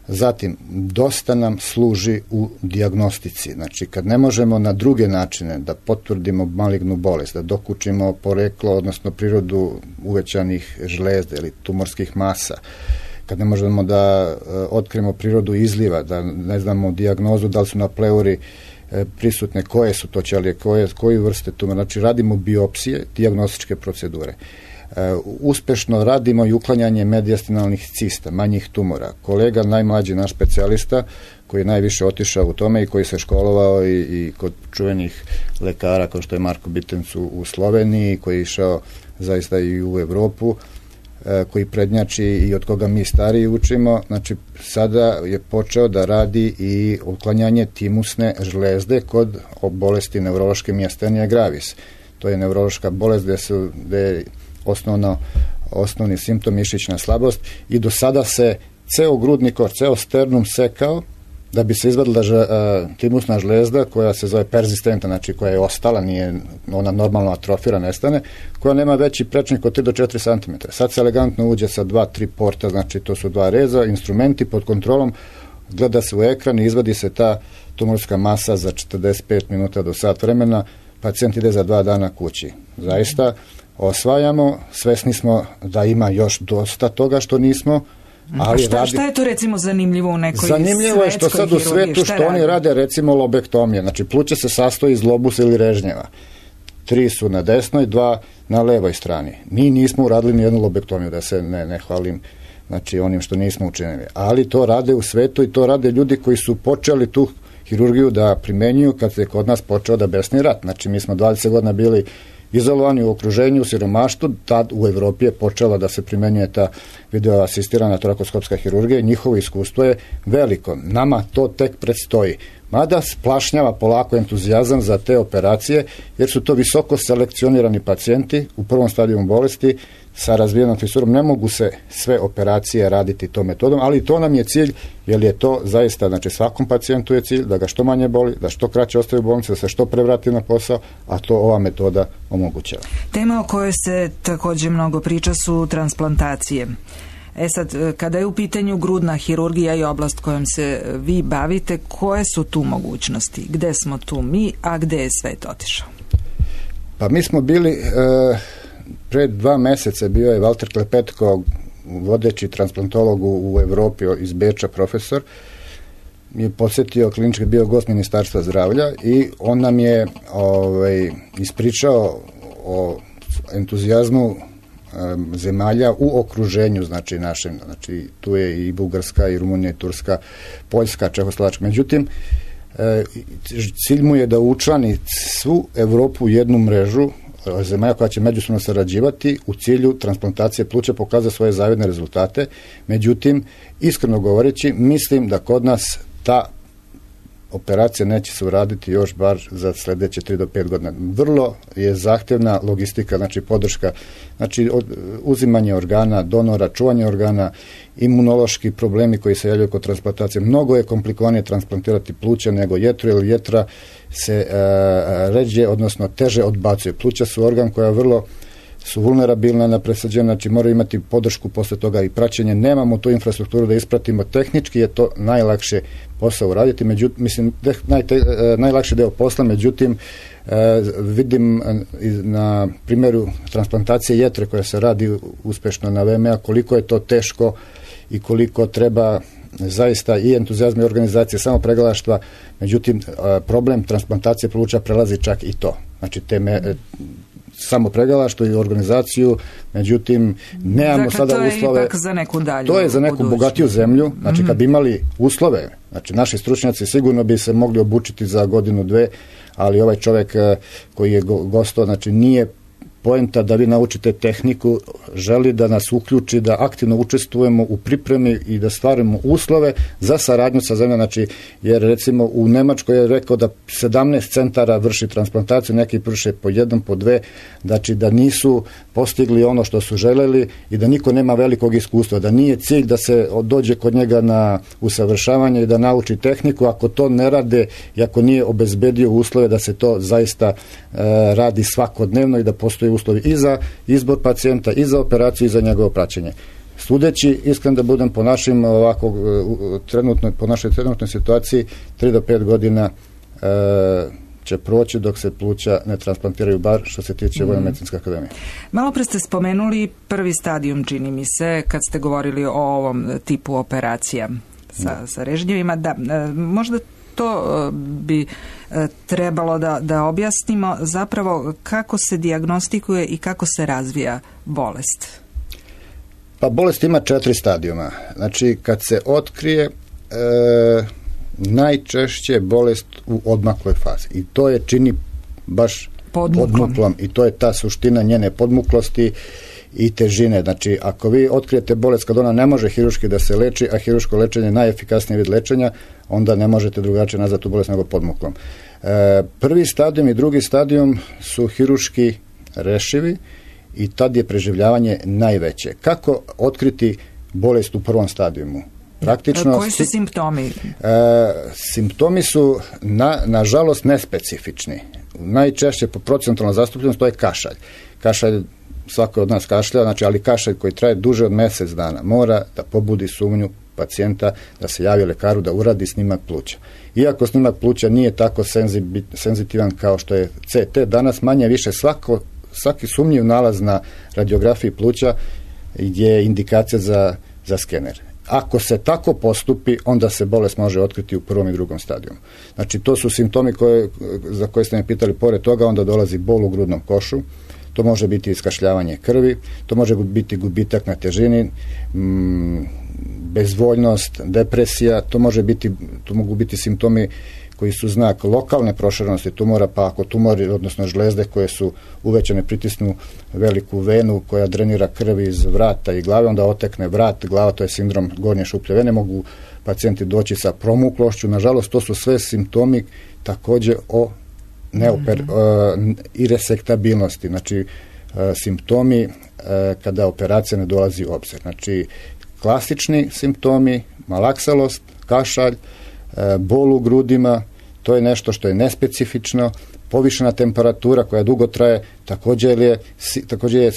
Zatim, dosta nam služi u dijagnostici. Znači, kad ne možemo na druge načine da potvrdimo malignu bolest, da dokučimo poreklo, odnosno prirodu uvećanih žlezda ili tumorskih masa, kad ne možemo da otkrijemo prirodu izliva, da ne znamo dijagnozu, da li su na pleuri prisutne, koje su to ćelije, koje vrste tumora. Znači, radimo biopsije, dijagnostičke procedure. Uspešno radimo i uklanjanje mediastinalnih cista, manjih tumora. Kolega, najmlađi naš specijalista, koji je najviše otišao u tome i koji se školovao i kod čuvenih lekara, kao što je Marko Bitenc u Sloveniji, koji je išao zaista i u Evropu, koji prednjači i od koga mi stariji učimo, znači sada je počeo da radi i uklanjanje timusne žlezde kod bolesti neurološke miastenije gravis. To je neurološka bolest gde je osnovni simptom mišićna slabost i do sada se ceo grudni koš, ceo sternum sekao da bi se izvadila timusna žlezda koja se zove perzistenta, znači koja je ostala, nije ona normalno atrofira, nestane, koja nema veći prečnik od 3 do 4 cm. Sad se elegantno uđe sa 2-3 porta, znači to su 2 reza, instrumenti pod kontrolom, gleda se u ekran i izvadi se ta tumorska masa za 45 minuta do sat vremena, pacijent ide za 2 dana kući. Zaista osvajamo, svesni smo da ima još dosta toga što nismo. Ali šta je to recimo zanimljivo u nekoj zanimljivo je što sad u svetu što oni rade recimo lobektomije, znači pluće se sastoji iz lobusa ili režnjeva, 3 su na desnoj, 2 na levoj strani. Mi nismo uradili ni jednu lobektomiju, da se ne hvalim znači onim što nismo učinili, ali to rade u svetu i to rade ljudi koji su počeli tu hirurgiju da primenjuju kad se kod nas počeo da besni rat. Znači mi smo 20 godina bili izolovani u okruženju, u siromaštvu, tad u Evropi je počela da se primenjuje ta videoasistirana torakoskopska hirurgija i njihovo iskustvo je veliko. Nama to tek predstoji. Mada splašnjava polako entuzijazam za te operacije, jer su to visoko selekcionirani pacijenti u prvom stadiju bolesti sa razvijenom fisurom. Ne mogu se sve operacije raditi tom metodom, ali to nam je cilj, jer je to zaista, znači svakom pacijentu je cilj da ga što manje boli, da što kraće ostaje u bolnici, da se što pre vrati na posao, a to ova metoda omogućava. Tema o kojoj se također mnogo priča su transplantacije. Sad, kada je u pitanju grudna hirurgija i oblast kojom se vi bavite, koje su tu mogućnosti? Gde smo tu mi, a gde je svet otišao? Pa mi smo bili, pred 2 meseca bio je Walter Klepetko, vodeći transplantolog u Evropi iz Beča, profesor, je posjetio klinički, bio gost Ministarstva zdravlja i on nam je ispričao o entuzijazmu zemalja u okruženju, znači našem, znači tu je i Bugarska, i Rumunija, i Turska, Poljska, Čehoslovačka. Međutim, cilj mu je da učlani svu Evropu u jednu mrežu zemalja koja će međusobno sarađivati u cilju transplantacije pluća, pokaza svoje zavidne rezultate. Međutim, iskreno govoreći, mislim da kod nas ta operacija neće se uraditi još bar za sljedeće 3 do 5 godina. Vrlo je zahtevna logistika, znači podrška, znači uzimanje organa, donora, čuvanje organa, imunološki problemi koji se javljaju kod transplantacije. Mnogo je komplikovanije transplantirati pluća nego jetru, jer jetra se ređe, odnosno teže odbacuje. Pluća su organ koja vrlo su vulnerabilna na presađenje, znači moraju imati podršku posle toga i praćenje. Nemamo tu infrastrukturu da ispratimo. Tehnički je to najlakše posao uraditi, međutim, mislim, najlakši deo posla, međutim, vidim na primjeru transplantacije jetre koja se radi uspešno na VMA, koliko je to teško i koliko treba zaista i entuzijazma i organizacije, samo pregalaštva. Međutim, problem transplantacije pluća prelazi čak i to. Znači, samo pregalaštvo i organizaciju, međutim, nemamo sada uslove. To je ipak za neku dalju. To je za neku bogatiju zemlju. Znači, kad bi imali uslove, znači, naši stručnjaci sigurno bi se mogli obučiti za 1-2, ali ovaj čovjek koji je gostao, znači, nije poenta da vi naučite tehniku, želi da nas uključi, da aktivno učestvujemo u pripremi i da stvarimo uslove za saradnju sa zemljom, znači, jer recimo u Nemačkoj je rekao da 17 centara vrši transplantaciju, neki vrše po 1, po 2, znači da nisu postigli ono što su želeli i da niko nema velikog iskustva, da nije cilj da se dođe kod njega na usavršavanje i da nauči tehniku, ako to ne rade i ako nije obezbedio uslove da se to zaista radi svakodnevno i da postoji uslovi i za izbor pacijenta, i za operaciju, i za njegovo praćenje. Sudeći, iskren da budem po našim po našoj trenutnoj situaciji, 3 do 5 godina će proći dok se pluća ne transplantiraju, bar što se tiče Vojno-medicinske akademije. Malo pre ste spomenuli prvi stadijum, čini mi se, kad ste govorili o ovom tipu operacija sa režnjevima. Da, možda to bi trebalo da objasnimo zapravo kako se dijagnostikuje i kako se razvija bolest. Pa bolest ima 4 stadijuma. Znači, kad se otkrije, najčešće bolest u odmakloj fazi. I to je čini baš podmuklom. I to je ta suština njene podmuklosti i težine. Znači, ako vi otkrijete bolest kad ona ne može hiruški da se leči, a hiruško lečenje je najefikasniji vid lečenja, onda ne možete drugačije nazvati tu bolest nego podmuklom. Prvi stadijum i drugi stadijum su hiruški rešivi i tad je preživljavanje najveće. Kako otkriti bolest u prvom stadijumu? Praktično, koji su simptomi? Simptomi su nažalost nespecifični. Najčešće po procentualnoj zastupljenosti to je kašalj. Kašalj, svako od nas kašlja, znači, ali kašalj koji traje duže od mjesec dana mora da pobudi sumnju pacijenta da se javi lekaru da uradi snimak pluća. Iako snimak pluća nije tako senzitivan kao što je CT, danas manje više svaki sumnjiv nalaz na radiografiji pluća je indikacija za skener. Ako se tako postupi, onda se bolest može otkriti u prvom i drugom stadijumu. Znači, to su simptomi za koje ste me pitali. Pored toga onda dolazi bol u grudnom košu, to može biti iskašljavanje krvi, to može biti gubitak na težini, bezvoljnost, depresija, to mogu biti simptomi koji su znak lokalne proširenosti tumora, pa ako tumori, odnosno žlezde koje su uvećane, pritisnu veliku venu koja drenira krv iz vrata i glave, onda otekne vrat, glava, to je sindrom gornje šuplje vene, mogu pacijenti doći sa promuklošću. Nažalost, to su sve simptomi također o iresektabilnosti, znači simptomi kada operacija ne dolazi u obzir. Znači, klasični simptomi, malaksalost, kašalj, bol u grudima, to je nešto što je nespecifično, povišena temperatura koja dugo traje, također je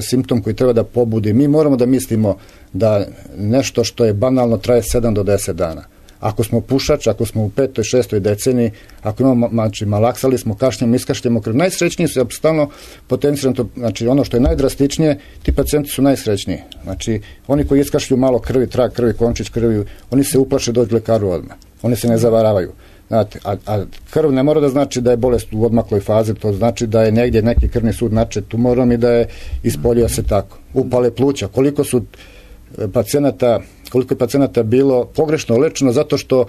simptom koji treba da pobudi. Mi moramo da mislimo da nešto što je banalno traje 7 do 10 dana. Ako smo pušač, ako smo u 5. i 6. deceniji, ako imamo, znači, malaksali smo, kašljamo, iskašljamo krv, najsrećniji su stalno potencijalno, znači ono što je najdrastičnije, ti pacijenti su najsrećniji. Znači, oni koji iskašlju malo krvi, trag krvi, končić krvi, oni se uplaše doći lekaru odmah. Oni se ne zavaravaju. Znate, a krv ne mora da znači da je bolest u odmakloj fazi, to znači da je negdje neki krvni sud načet tumorom i da je ispolio se tako. Upale pluća, koliko je pacijenata bilo pogrešno lečeno zato što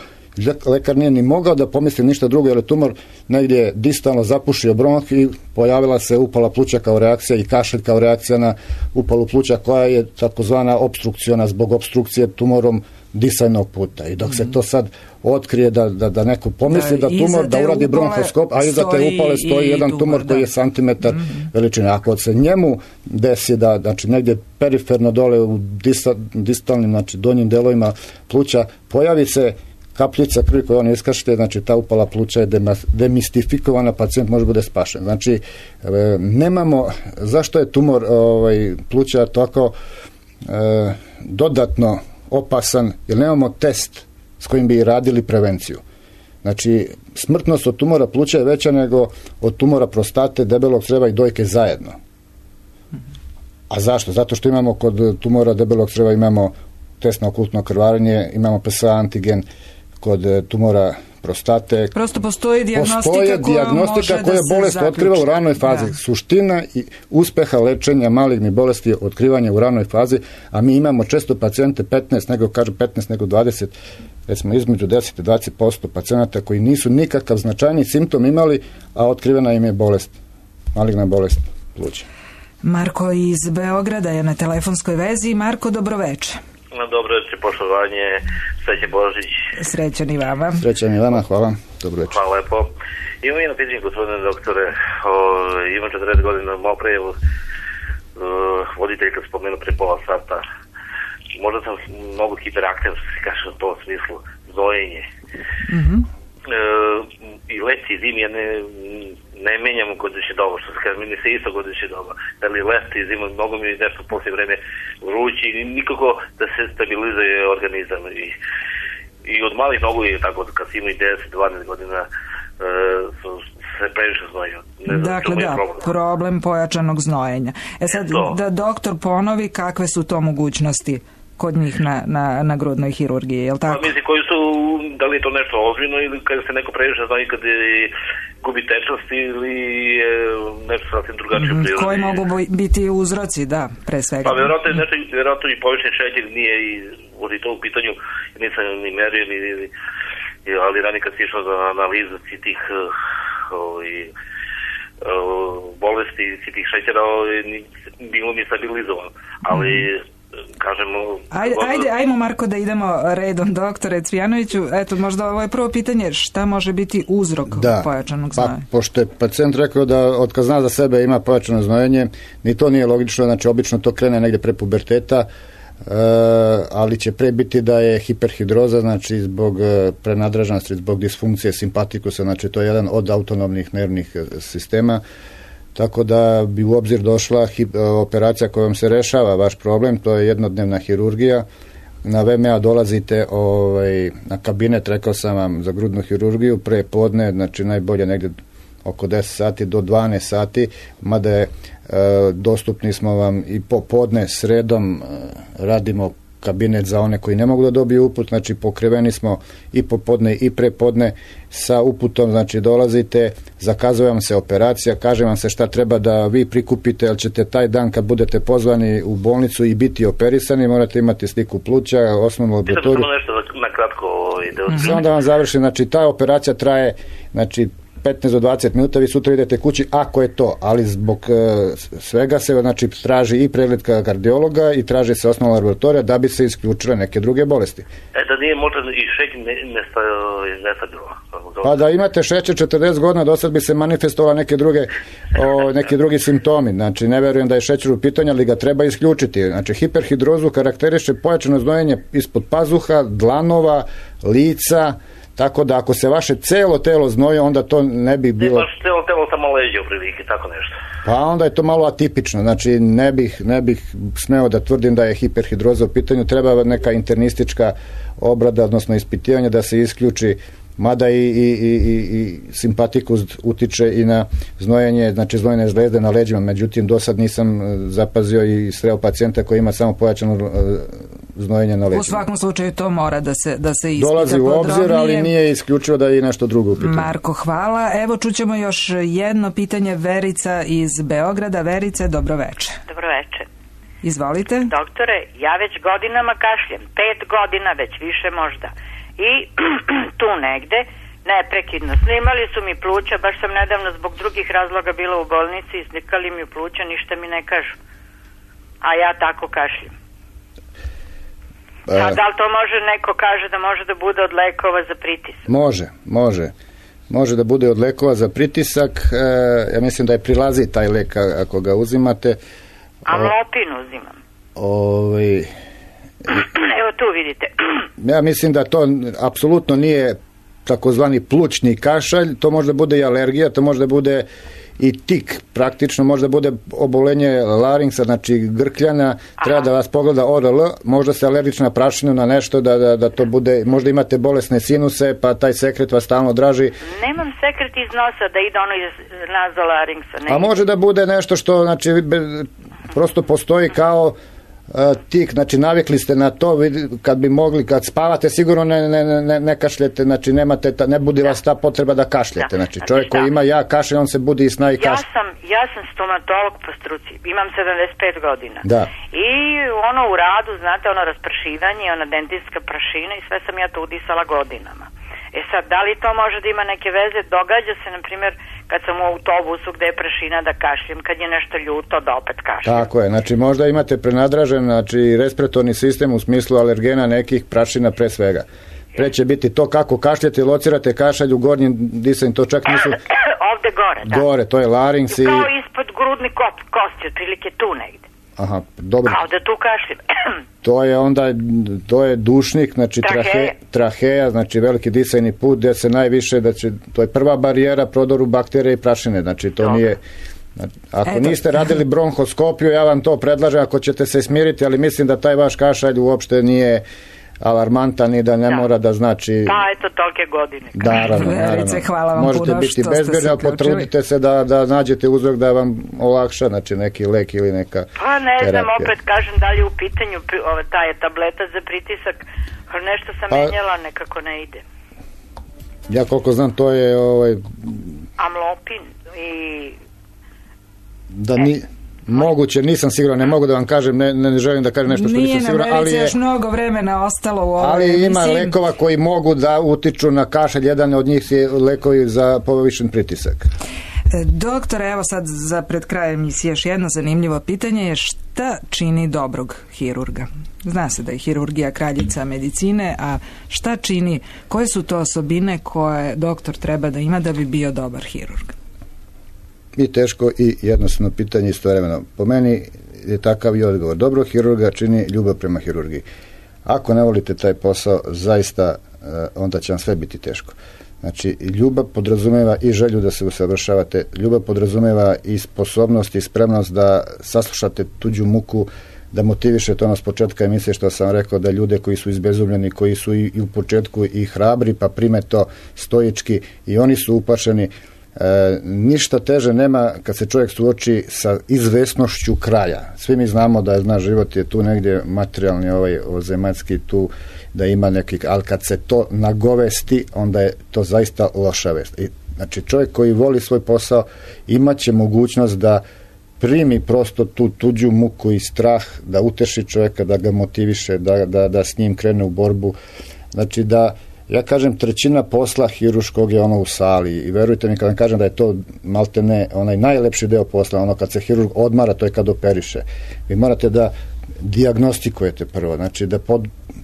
lekar nije ni mogao da pomisli ništa drugo, jer je tumor negdje distalno zapušio bronh i pojavila se upala pluća kao reakcija i kašalj kao reakcija na upalu pluća koja je takozvana opstrukciona zbog opstrukcije tumorom disajnog puta. I dok se to sad otkrije da neko pomisli da tumor, da uradi bronhoskop, a iza te upale stoji jedan tumor koji je santimetar veličine. Ako se njemu desi da, znači, negdje periferno dole u distalnim, znači donjim delovima pluća, pojavi se kapljica krvi koju on iskašlje, znači ta upala pluća je demistifikovana, pacijent može bude spašen. Znači, nemamo, zašto je tumor pluća tako dodatno opasan, jer nemamo test s kojim bi radili prevenciju. Znači, smrtnost od tumora pluća je veća nego od tumora prostate, debelog crijeva i dojke zajedno. A zašto? Zato što imamo kod tumora debelog crijeva imamo test na okultno krvarenje, imamo PSA antigen, kod tumora prostate. Prosto postoji dijagnostika koja bolest otkriva u ranoj fazi. Da. Suština i uspeha lečenja malignih bolesti je otkrivanje u ranoj fazi, a mi imamo često pacijente 15 nego 20, recimo između 10 i 20% pacijenata koji nisu nikakav značajni simptom imali, a otkrivena im je bolest, maligna bolest pluća. Marko iz Beograda je na telefonskoj vezi. Marko, dobroveče. Dobro večer, poštovanje, srećan Božić. Srećan i vama. Srećan i vama, hvala. Dobro večer. Hvala lepo. Imam jedno pitanje, gospodine doktore. Imam 40 godina moprejevu. Voditelj kad spomenu pre pola sata. Možda sam mnogo hiperaktivan, što se kaže u tom smislu, znojenje. I leti i zimi ja ne menjam godišnje doba, što se kaže, mi se isto godišnje doba. Da li leti i zima, mnogo mi je nešto poslije vreme vrući i nikako da se stabilizuje organizam. I od malih nogu je tako, kad si imaju 10-12 godina, se previše znojio. Dakle, problem pojačanog znojenja. Sad, da doktor ponovi kakve su to mogućnosti kod njih na grudnoj hirurgiji, je li tako? Mislim, koji su, da li je to nešto ozbiljno ili kada se neko previše znoji, kad gubi tečnost ili nešto sasvim drugačije u prirodi. Koji mogu biti uzroci, da, pre svega. Pa vjerojatno i povišen šećer nije i to u pitanju, nisam ni merio, ali ranije kad si išao za analizu tih bolesti tih šećera bilo mi stabilizovano. Ali, kažemo... Ajmo Marko da idemo redom, doktore Cvijanoviću. Eto, možda ovo je prvo pitanje, šta može biti uzrok pojačanog znojenja? Pa, pošto je pacijent rekao da otkad zna za sebe ima pojačano znojenje, ni to nije logično, znači obično to krene negdje pre puberteta, ali će pre biti da je hiperhidroza, znači zbog prenadraženosti, zbog disfunkcije simpatikusa, znači to je jedan od autonomnih nervnih sistema, tako da bi u obzir došla operacija kojom se rešava vaš problem, to je jednodnevna hirurgija. Na VMA dolazite na kabinet, rekao sam vam, za grudnu hirurgiju, pre podne, znači najbolje negdje oko 10 sati do 12 sati, mada je dostupni smo vam i popodne, sredom radimo kabinet za one koji ne mogu da dobiju uput, znači pokriveni smo i popodne i prepodne sa uputom, znači dolazite, zakazuje vam se operacija, kaže vam se šta treba da vi prikupite, jer ćete taj dan kad budete pozvani u bolnicu i biti operisani, morate imati sliku pluća, osnovnu laboratoriju. Samo nešto na kratko samo da vam završim, znači ta operacija traje, znači 15 do 20 minuta, vi sutra idete kući ako je to, ali zbog svega se znači traži i pregled kardiologa i traži se osnovna laboratorija da bi se isključile neke druge bolesti. Da nije možda i šećer nestabilno. Pa da imate šećer 40 godina, do sad bi se manifestovalo neki drugi simptomi, znači ne verujem da je šećer u pitanju, ali ga treba isključiti. Znači hiperhidrozu karakteriše pojačano znojenje ispod pazuha, dlanova, lica, tako da ako se vaše celo telo znoje, onda to ne bi bilo... Ne baš celo telo, samo leđe u prilike, tako nešto. Pa onda je to malo atipično, znači ne bih smeo da tvrdim da je hiperhidroza u pitanju, treba neka internistička obrada, odnosno ispitivanje da se isključi, mada i simpatikus utiče i na znojenje, znači znojene žlezde na leđima, međutim do sad nisam zapazio i sreo pacijenta koji ima samo pojačano znojenje na leđima. U svakom slučaju to mora da se ispita dolazi u obzir, ali nije isključivo da je i nešto drugo u pitanju. Marko, hvala. Evo čućemo još jedno pitanje, Verica iz Beograda. Verice, dobroveče. Dobroveče. Izvolite. Doktore, ja već godinama kašljem, 5 godina, već više možda. I tu negde, neprekidno, snimali su mi pluća, baš sam nedavno zbog drugih razloga bila u bolnici, slikali mi pluća, ništa mi ne kažu. A ja tako kašljem. A da li to može, neko kaže da može da bude od lekova za pritisak? Može da bude od lekova za pritisak. Ja mislim da je prilazi taj lek ako ga uzimate. Amlopin uzimam. Evo tu vidite. Ja mislim da to apsolutno nije takozvani plućni kašalj, to može da bude i alergija, to može da bude i tik, praktično može da bude obolenje laringsa, znači grkljana. Treba da vas pogleda ORL, možda se alergična prašina na nešto, da to bude, možda imate bolesne sinuse, pa taj sekret vas stalno draži. Nemam sekret iz nosa da ide ono iz nazolaringsa. A može da bude nešto što, znači, prosto postoji kao tik, znači navikli ste na to, kad bi mogli, kad spavate sigurno ne kašljete, znači ne budi vas ta potreba da kašljete, znači čovjek koji ima kašlje, on se budi i sna i kašlje. Ja sam stomatolog po struci, imam 75 godina. Da. I ono u radu, znate, ono raspršivanje, ona dentistska prašina i sve sam ja to udisala godinama. Sad, da li to može da ima neke veze? Događa se, na primjer, kad sam u autobusu gde je prašina da kašljem, kad je nešto ljuto da opet kašljem. Tako je, znači možda imate prenadražen, znači respiratorni sistem u smislu alergena nekih, prašina pre svega. Pre će biti to kako kašljete, locirate kašalj u gornjim disanju, to čak nisu... Ovde gore, da. Gore, to je larynx i... Kao ispod grudni kosti, otprilike tu negde. Aha, dobro. Kao da tu kašljem. To je dušnik, znači traheja, znači veliki disajni put gdje se najviše, to je prva barijera prodoru bakterije i prašine, znači to nije... Ako niste radili bronhoskopiju, ja vam to predlažem ako ćete se smiriti, ali mislim da taj vaš kašalj uopšte nije alarmantan i da ne mora da znači... Pa, eto, tolike godine. Naravno. Hvala vam možete puno biti što ste bezbedni, ali potrudite se da nađete uzrok da vam olakša, znači neki lek ili neka pa ne znam, terapija. Opet kažem da li je u pitanju ta je tableta za pritisak, ali nešto sam menjala, nekako ne ide. Ja koliko znam, to je amlopin i... Moguće, nisam siguran, ne mogu da vam kažem, ne želim da kažem nešto što nisam siguran, ali je još mnogo vremena ostalo u ovoj ali ima lekova koji mogu da utiču na kašalj, jedan od njih je lekovi za povišen pritisak. Doktor, evo sad za pred kraj emisije još jedno zanimljivo pitanje je šta čini dobrog hirurga? Zna se da je hirurgija kraljica medicine, a šta čini, koje su to osobine koje doktor treba da ima da bi bio dobar hirurg? I teško i jednostavno pitanje istovremeno. Po meni je takav i odgovor. Dobrog hirurga čini ljubav prema hirurgiji. Ako ne volite taj posao, zaista onda će vam sve biti teško. Znači, ljubav podrazumeva i želju da se usavršavate, ljubav podrazumeva i sposobnost i spremnost da saslušate tuđu muku, da motivišete ono s početka emisije što sam rekao, da ljude koji su izbezumljeni, koji su i u početku i hrabri, pa prime to stoički, i oni su uplašeni. Ništa teže nema kad se čovjek suoči sa izvesnošću kraja. Svi mi znamo da naš život je tu negdje materijalni, zemaljski, tu da ima neki, ali kad se to nagovesti, onda je to zaista loša vest. Znači, čovjek koji voli svoj posao imat će mogućnost da primi prosto tu tuđu muku i strah, da uteši čovjeka, da ga motiviše, da s njim krene u borbu. Znači da, ja kažem, trećina posla hiruškog je ono u sali, i verujte mi kad vam kažem da je to malte ne onaj najlepši deo posla, ono kad se hirurg odmara, to je kad operiše. Vi morate da dijagnostikujete prvo, znači da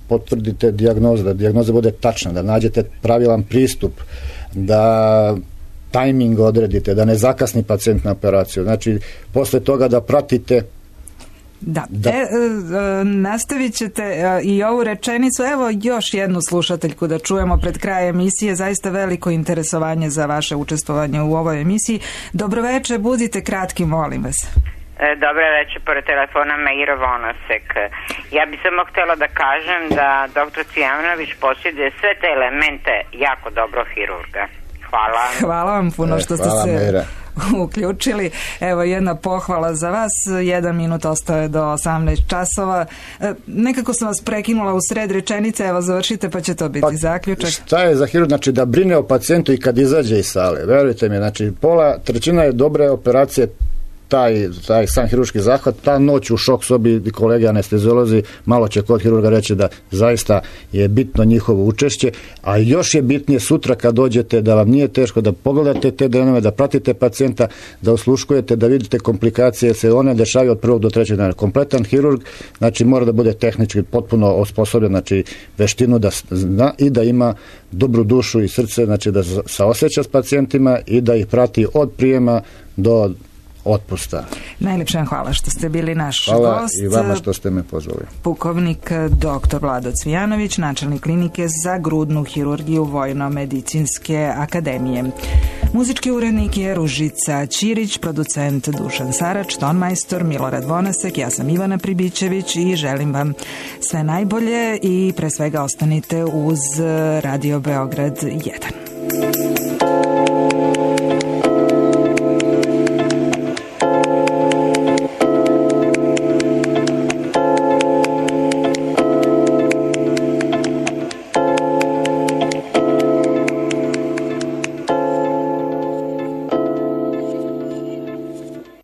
potvrdite dijagnozu, da dijagnoza bude tačna, da nađete pravilan pristup, da tajming odredite, da ne zakasni pacijent na operaciju. Znači, posle toga da pratite. Da. Nastavit ćete i ovu rečenicu. Evo još jednu slušateljku da čujemo pred kraj emisije. Zaista veliko interesovanje za vaše učestvovanje u ovoj emisiji. Dobroveče, budite kratki, molim vas. Dobre večer, pored telefona Meiro Vonosek. Ja bi samo htjela da kažem da dr. Cvijanović posjeduje sve te elemente jako dobro hirurga. Hvala. Hvala vam puno što ste se uključili. Evo jedna pohvala za vas. 1 minut ostaje do 18 časova. Nekako sam vas prekinula u sred rečenice, evo završite pa će to biti zaključak. Šta je za hirurg? Znači da brine o pacijentu i kad izađe iz sale. Verujte mi, znači trećina je dobre operacije, taj sam hirurški zahvat, ta noć u šok sobi, kolege anesteziolozi malo će kod hirurga reći da zaista je bitno njihovo učešće, a još je bitnije sutra kad dođete da vam nije teško, da pogledate te denove, da pratite pacijenta, da osluškujete, da vidite komplikacije, jer se one dešavaju od 1. do 3. dana. Kompletan hirurg, znači mora da bude tehnički potpuno osposobljen, znači veštinu da zna i da ima dobru dušu i srce, znači da saoseća s pacijentima i da ih prati od prijema do otpusta. Najljepša vam hvala što ste bili naš hvala gost. I vama što ste me pozvali. Pukovnik dr. Vlado Cvijanović, načelnik klinike za grudnu hirurgiju Vojno-medicinske akademije. Muzički urednik je Ružica Ćirić, producent Dušan Sarač, tonmajstor Milorad Vonasek, ja sam Ivana Pribićević i želim vam sve najbolje i pre svega ostanite uz Radio Beograd 1.